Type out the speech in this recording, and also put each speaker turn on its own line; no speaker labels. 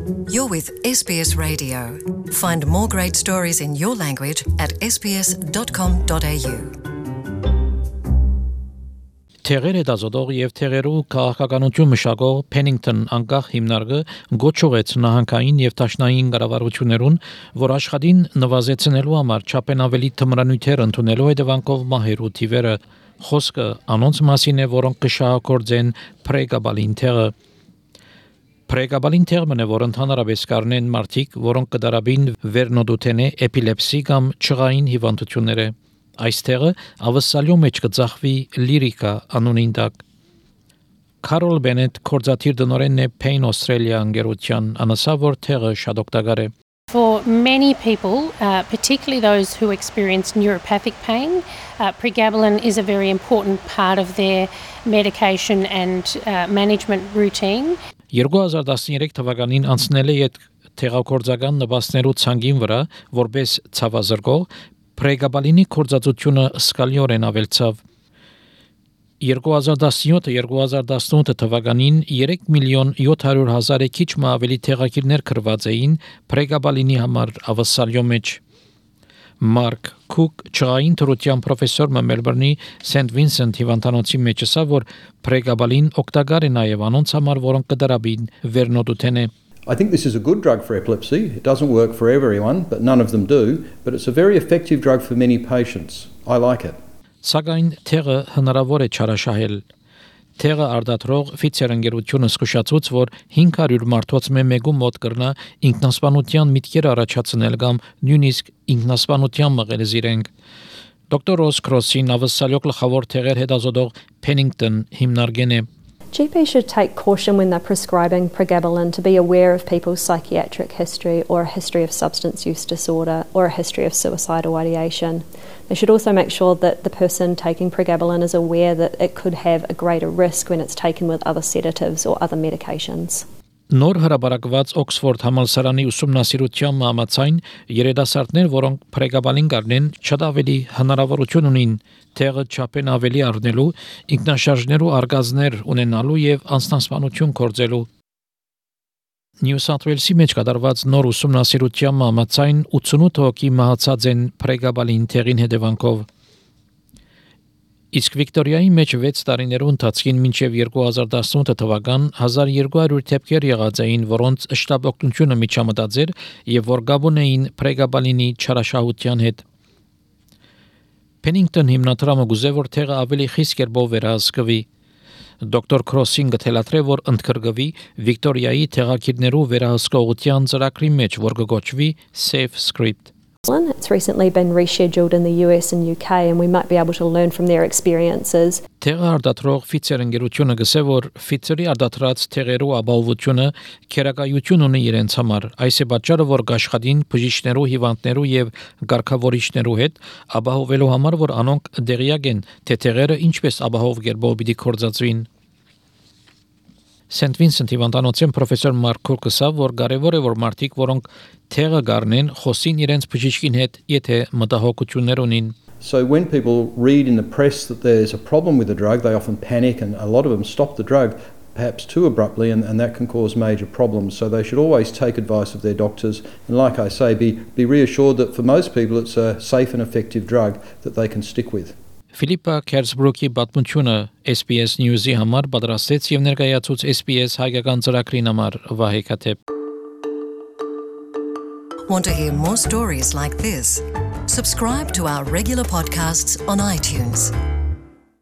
You're with SBS Radio. Find more great stories in your language at sbs.com.au.
Թեղեր հետազոտող եւ թեղերու քաղաքականություն մշակող Pennington անկախ հիմնարկը գոչուեց նահանգային եւ տաշնային կառավարություններուն, որ աշխատին նվազեցնելու համար չափեն ավելի թմրանյութեր ընդունելու հետևանքով մահերու թիվերը խոսքը անոնց մասին է, որոնք կշահագործեն պրեգաբալին թեղը Պրեգաբալին թեղմն է, որ ընդհանրապես կառնեն մարդիկ, որոնք կդարաբին վերնոդութենե էպիլեպսի կամ չղային հիվանդությունները Այս թեղը ավսալյո մեջ կծախվի լիրիկա անունին տակ Քարոլ Բենետ կորզաթիր դնորենն է Pain Australia ընկերության անասա որ թեղը շատ օգտակար է
For many people, particularly those who experience neuropathic pain, pregabalin is a very important part of their medication and management routine.
2013 թվականին անցնել է այդ թեղակորձական նպաստներու ցանկին վրա, որպես ցավազրկող, պրեգաբալինի կորձածությունը սկալիորեն ավելցավ 2017-2018 թվականին 3,700,000 քիչ մը ավելի թեղակիրներ կրված էին պրեգաբալինի համար ավսալյո մեջ Մարկ Քուկ ճային թրության պրոֆեսոր Մելբուրնի Սենթ Վինսենթ հիվանդանոցի մեջ ասա որ պրեգաբալին օգտակար է նաև անոնց համար որոնք կդարաբին վերնոդութենե
I think this is a good drug for epilepsy. It doesn't work for everyone, but none of them do. But it's a very effective drug for many patients. I like it.
Սակայն թեղը հնարավոր է չարաշահել։ Թեղը արդատրող Pfizer ընկերությունը զսկուշացուց, որ 500 մարդոց մեկու մոտ կրնա ինքնասպանության միտքեր առաջացնել կամ նույնիսկ ինքնասպանության մղել զիրենք։ Դոկտոր Ռոս Քրոսին ավսալյո գլխավոր թեղեր հետազոտող Pennington հիմնարկեն է
GPs should take caution when they're prescribing pregabalin to be aware of people's psychiatric history or a history of substance use disorder or a history of suicidal ideation. They should also make sure that the person taking pregabalin is aware that it could have a greater risk when it's taken with other sedatives or other medications.
Նոր հրաբարակված Օքսֆորդ համալսարանի ուսումնասիրության համաձայն երիտասարդներ, որոնք պրեգաբալին կառնեն, շատ ավելի հնարավորություն ունին թեղը չափեն ավելի առնելու, ինքնաշարժներու արգազներ ունենալու եւ անձնասպանություն կորձելու։ Նյու Սաութ Ուելսի մեջ կատարված նոր ուսումնասիրության համաձայն 88 հոգի մահացած են պրեգաբալին թեղին հետևանքով։ Իսկ Վիկտորիայի մեջ 6 տարիներու ընթացքին մինչև 2018 թվական 1200 դեպքեր եղած էին, որոնց շտապ օգնությունը միջամտած էր եւ որ գաբուն էին պրեգաբալինի չարաշահության հետ։ Pennington հիմնադրամը գուզե որ թեղը ավելի խիստ կերպով վերահսկվի։ Դոկտոր Քրոսին գտելատրե որ ընդգրկվի Վիկտորիայի թեղակիրներու վերահսկողության ծրագրի մեջ, որ կոչվի Safe Script։
It's recently been rescheduled in the US and UK and we might be able to learn from their experiences.
Թեղը արդատրող Pfizer ընկերությունը գսե որ Pfizer-ի արդատրած թեղերու ապահովությունը քերակայություն ունի իրենց համար։ Այս է պատճառը որ աշխատին բժիշկներու, հիվանդներու եւ ղարքավորիչներու հետ ապահովելու համար որ անոնք դեղյակ են, թե թեղերը ինչպես ապահով կերպով պիտի կորձածվին։ Սենթ Վինսենթ հիվանդանոցի պրոֆեսոր Մարկ Քուրկսը որ կարևոր է որ մարդիկ որոնք թեղը գառնեն խոսին իրենց բժիշկին հետ եթե մտահոգություններ ունին
So when people read in the press that there's a problem with the drug they often panic and a lot of them stop the drug perhaps too abruptly and that can cause major problems so they should always take advice of their doctors and like I say be reassured that for most people it's a safe and effective drug that they can stick with
Ֆիլիպա Քերսբրուկի պատմությունը SBS News-ի համար պատրաստեց եւ ներկայացուց SBS հայկական ծրագրին համար Վահե Քաթեփ
Want to hear more stories like this? Subscribe to our regular podcasts on iTunes.